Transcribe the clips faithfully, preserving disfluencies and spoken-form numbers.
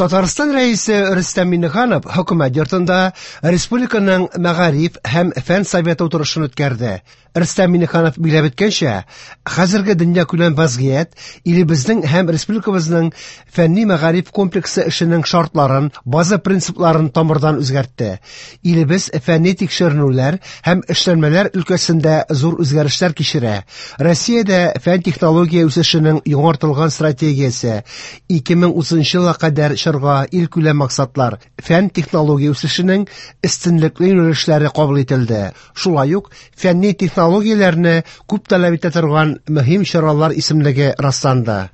Татарстан Рәисе Рөстәм Миңнеханов хөкүмәт йортында республиканың мәгариф һәм фән советы утырышын үткәрде. Рөстәм Миңнеханов билгеләп үткәнчә, хәзерге дөньякүләм вазгыять илебезнең һәм республикабызның фәнни мәгариф комплексы эшенең шартларын, база принципларын тамырдан үзгәртте. Илебез фәнни тикшеренүләр һәм эшләнмәләр өлкәсендә зур үзгәрешләр кичерә. Россиядә фән-технология үсешенең яңартылган стратегиясе ике мең утызынчы елга кадәр чорга илкүләм максатлар, фән-технология үсешенең өстенлекле юнәлешләре кабул ителде. Шулай ук фәнни технологияләрне күп таләп итә торган мөһим чаралар исемлеге расланды.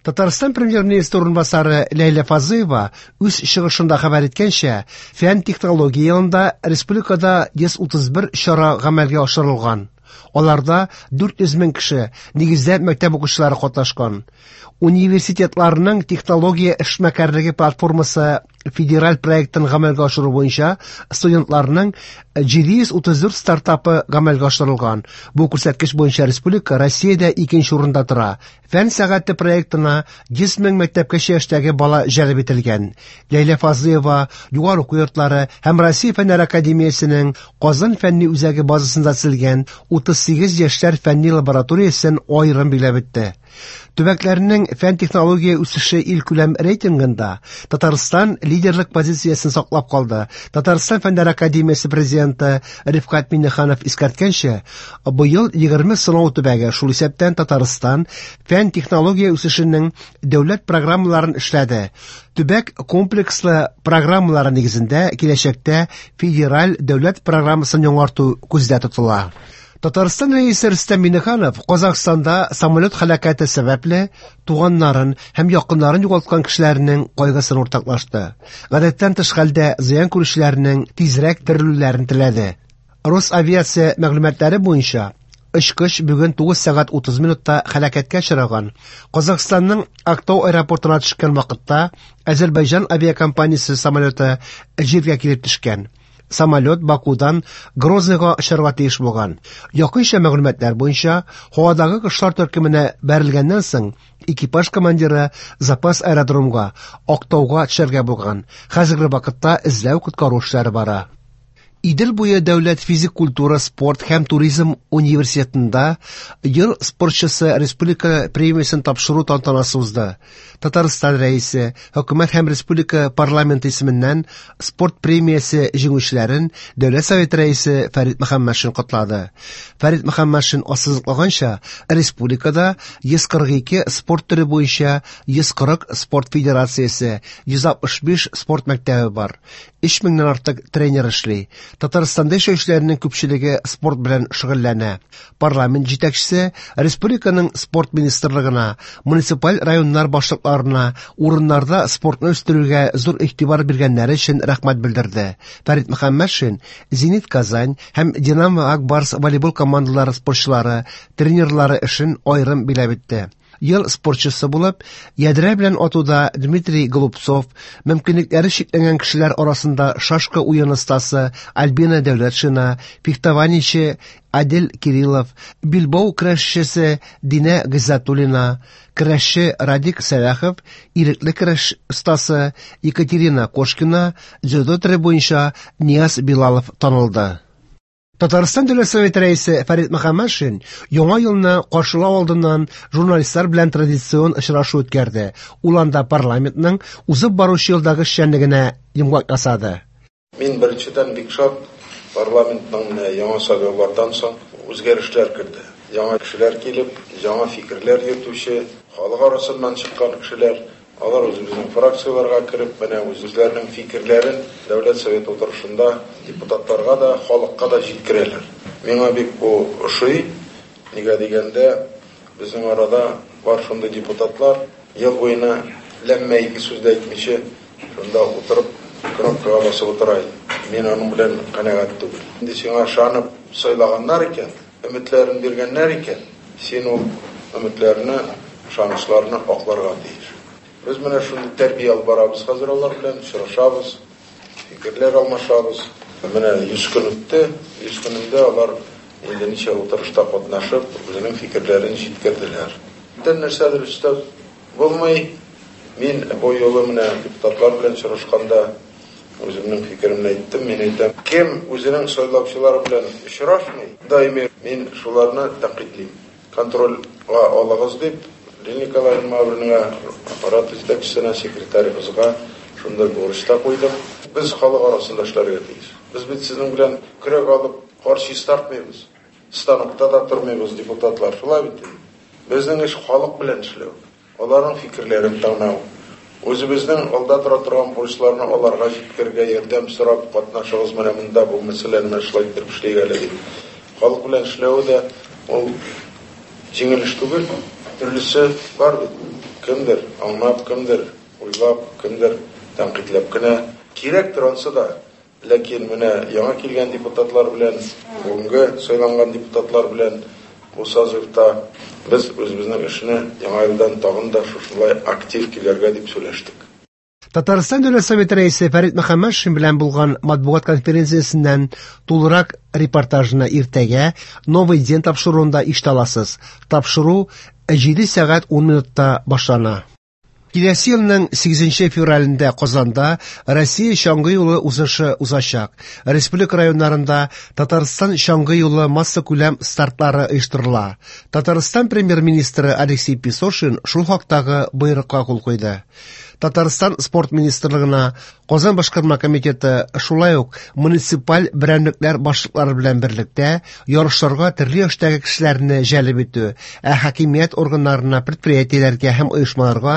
Татарстан премьер-министры урынбасары Ләйлә Фазлыева үз чыгышында хәбәр иткәнчә, фән-технология елында республикада йөз утыз бер чара гамәлгә ашырылган. Аларда дүрт йөз мең кеше, нигездә мәктәп укучылары катнашкан. Университетларның технология эшмәкәрлеге платформасы федераль проектын гамәлгә ашыру буенча студентларның җиде йөз утыз дүрт стартапы гамәлгә ашырылган. Бу күрсәткеч буенча республика Россиядә икенче урында тора. Фән сәгате проектына йөз мең мәктәпкәчә яшьтәге бала җәлеп ителгән. Ләйлә Фазлыева югары уку йортлары һәм Россия Фәннәр академиясенең Казан фәнни үзәге базасында төзелгән утыз сигез яшьләр фәнни лабораториясен аерым билгеләп үтте. Төбәкләрнең фән-технология үсеше илкүләм рейтингында Татарстан лидерлык позициясен саклап калды. Татарстан Фәннәр академиясе президенты Рифкать Миңнеханов искәрткәнчә, быел егерме сынау төбәге, шул исәптән Татарстан, фән-технология үсешенең дәүләт программаларын эшләде. Төбәк комплекслы программалары нигезендә киләчәктә федераль дәүләт программасын яңарту күздә тотыла. Татарстан Рәисе Рөстәм Миңнеханов Казахстанда самолет һәлакәте сәбәпле туганнарын һәм якыннарын югалткан кешеләрнең кайгысын уртаклашты. Гадәттән тыш хәлдә зыян күрүчеләрнең тизрәк терелүләрен теләде. Росавиация мәгълүматлары буенча очкыч бүген тугыз сәгать утыз минутта һәлакәткә очраган. Казахстанның Актау аэропортына төшкән вакытта Азербайҗан авиакомпаниясе самолеты җиргә килеп төшкән. Самолет Бакудан Грозныйга очарга тиеш булган. Якынча мәгълүматлар буенча, һавадагы кошлар төркеменә бәрелгәннән соң экипаж командиры запас аэродромга, Актауга төшәргә булган. Хәзерге вакытта эзләү коткару эшләре бара. Идел буе дәүләт физик культура, спорт һәм туризм университетында ел спортчысы республика премиясен тапшыру тантанасы узды. Татарстан Рәисе, хөкүмәт һәм республика парламенты исеменнән спорт премиясе җиңүчеләрен Дәүләт Советы Рәисе Фәрит Мөхәммәтшин котлады. Фәрит Мөхәммәтшин ассызыклаганча, республикада йөз кырык ике спорт төре буенча йөз кырык спорт федерациясе, йөз алтмыш биш спорт мәктәбе бар. Өч меңнән артык тренер эшли. Татарстанда яшәүчеләрнең күпчелеге спорт белән шөгыльләнә. Парламент җитәкчесе республиканың спорт министрлыгына, муниципаль районнар башлыкларына урыннарда спортны үстерүгә зур игътибар биргәннәре өчен рәхмәт белдерде. Фәрит Мөхәммәтшин Зенит Казань һәм Динамо Ак Барс волейбол командалары спортчылары, тренерлары эшен аерым билгеләп үтте. Ел спортчысы булып, ядрә белән атуда Дмитрий Голубцов, мөмкинлекләре чикләнгән кешеләр арасында шашка уен остасы Альбина Дәүләтшина, фехтованиече Адел Кириллов, билбау көрәшчесе Динә Гыйззәтуллина, көрәшче Радик Сәлахов, ирекле көрәш остасы Екатерина Кошкина, дзюдо төре буенча Нияз Билалов танылды. Татарстан Дәүләт Советы Рәисе Фәрит Мөхәммәтшин яңа елны каршылау алдыннан журналистлар белән традицион очрашу үткәрде. Ул анда парламентның узып баручы елдагы эшчәнлегенә йомгак ясады. Мин беренчедән бик шат, парламентның менә яңа сайлаулардан соң үзгәрешләр керде. Яңа кешеләр килеп, яңа фикерләр йөртүче, халык арасыннан чыккан кешеләр, алар үзебезнең фракцияләргә кереп, менә үзләренең фикерләрен Дәүләт Советы утырышында депутатларга да, халыкка да җиткерәләр. Миңа бик бу ошый. Нигә дигәндә, безнең арада бар шундый депутатлар, ел буена ләммә ике сүз дә әйтмичә, шунда утырып, кнопкага басып утыра иде. Мин аның белән канәгать түгел. Инде сиңа ышанып сайлаганнар икән, өметләрен биргәннәр икән, син ул өметләрне, ышанычларны акларга тиеш. Без менә шундый тәрбия алып барабыз хәзер алар белән, очрашабыз, фикерләр алмашабыз. Менә йөз көн үтте, йөз көнендә алар инде ничә утырышта катнашып, үзенең фикерләрен җиткерделәр. Бүтән нәрсәдер өстәп булмый. Мин бу юлы менә депутатлар белән очрашканда үземнең фикеремне әйттем. Мин әйтәм, кем үзенең сайлаучылары белән очрашмый, даими мин шуларны тәнкыйтьлим. Контрольгә алыгыз дип, Лилия Николаевна Мавринага, аппарат җитәкчесенә, секретарыбызга шундай бурыч та куйдым. Без халык арасында эшләргә тиеш. Без бит сезнең белән көрәк алып кар чистартмыйбыз. Станокта да тормыйбыз, депутатлар. Шулай бит. Безнең эш халык белән эшләү. Аларның фикерләрен тыңлау. Үзебезнең алда тора торган бурычларны аларга җиткерергә ярдәм сорап катнашыгыз менә монда бу мәсьәләне менә шулай итеп эшлик әле дип. Халык белән эшләү дә ул җиңел эш түгел. Төрлесе бар бит. Кемдер аңлап, кемдер уйлап, кемдер тәнкыйтьләп кенә. Кирәктер ансы да. Ләкин менә яңа килгән депутатлар белән, бүгенге сайланган депутатлар белән бу созывта без үзебезнең эшне яңа елдан тагын да шушылай актив килергә дип сөйләштек. Татарстан Дәүләт Советы рәисе Фәрит Мөхәммәтшин белән булган матбугат конференциясеннән тулырак репортажны иртәгә Новый день тапшыруында ишетә аласыз. Тапшыру җиде сәгать ун минутта башлана. Киләсе елның сигезенче февралендә Казанда Россия чаңгы юлы узышы узачак. Республика районнарында Татарстан чаңгы юлы массакүләм стартлары оештырыла. Татарстан премьер-министры Алексей Песошин шул хактагы боерыкка кул куйды. Татарстан спорт министрлыгына Казан башкарма комитеты шулай ук муниципаль берәмлекләр башлыклары белән берлектә ярышларга төрле яшьтәге кешеләрне җәлеп итү, ә хакимият органнарына, предприятиеләргә һәм оешмаларга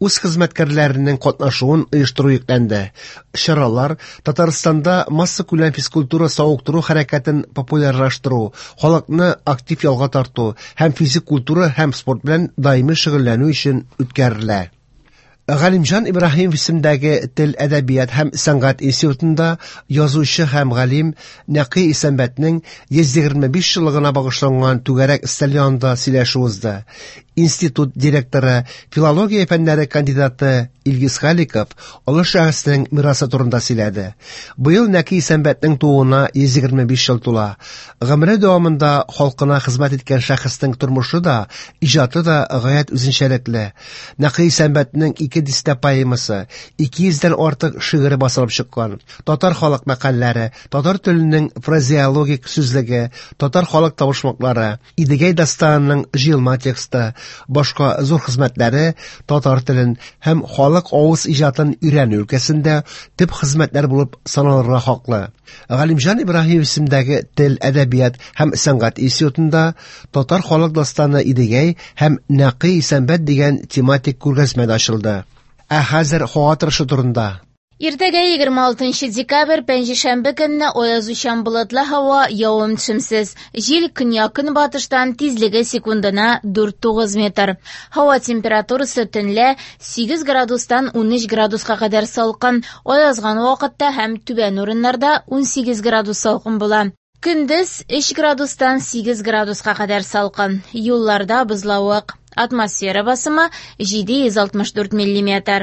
үз хезмәткәрләренең катнашуын оештыру йөкләнде. Чаралар Татарстанда массакүләм физкультура савыктыру хәрәкәтен популярлаштыру, халыкны актив ялга тарту һәм физик культура һәм спорт белән даими шөгыльләнү өчен үткәрелә. Галимҗан Ибраһимов исемендәге тел, әдәбият һәм сәнгать институтында язучы һәм галим Нәкый Исәнбәтнең йөз егерме биш еллыгына багышланган түгәрәк өстәл янында сөйләшү узды. Институт директоры, филология фәннәре кандидаты Илгиз Халиков олы шәхеснең мирасы турында сөйләде. Быел Нәкый Исәнбәтнең тууына йөз егерме биш ел тула. Гомере дәвамында халкына хезмәт иткән шәхеснең тормышы да, иҗаты да гаять үзенчәлекле. Нәкый Исәнбәтнең ике дистә поэмасы, ике йөздән артык шигыре басылып чыккан. Татар халык мәкальләре, татар теленең фразеологик сүзлеге, татар халык табышмаклары, Идегәй дастанының җыелма тексты, башка зур хезмәтләре татар телен һәм халык авыз иҗатын өйрәнү өлкәсендә төп хезмәтләр булып саналырга хаклы. Галимҗан Ибраһимов исемендәге тел, әдәбият һәм сәнгать институтында татар халык дастаны Идегәй һәм Нәкый Исәнбәт дигән тематик күргәзмә дә ачылды. Ә хәзер һава торышы турында. Иртәгә егерме алтынчы декабрь пәнҗешәмбе көнне аязучан болытлы һава, явым-төшемсез. Җил көньяк-көнбатыштан, тизлеге секундына дүрт тугыз метр. Һава температурасы төнлә сигез градустан унөч градуска кадәр салкын. Аязган вакытта һәм түбән урыннарда унсигез градус салкын була. Көндез өч градустан сигез градуска кадәр салкын. Юлларда бозлавык. Атмосфера басымы җиде йөз алтмыш дүрт миллиметр.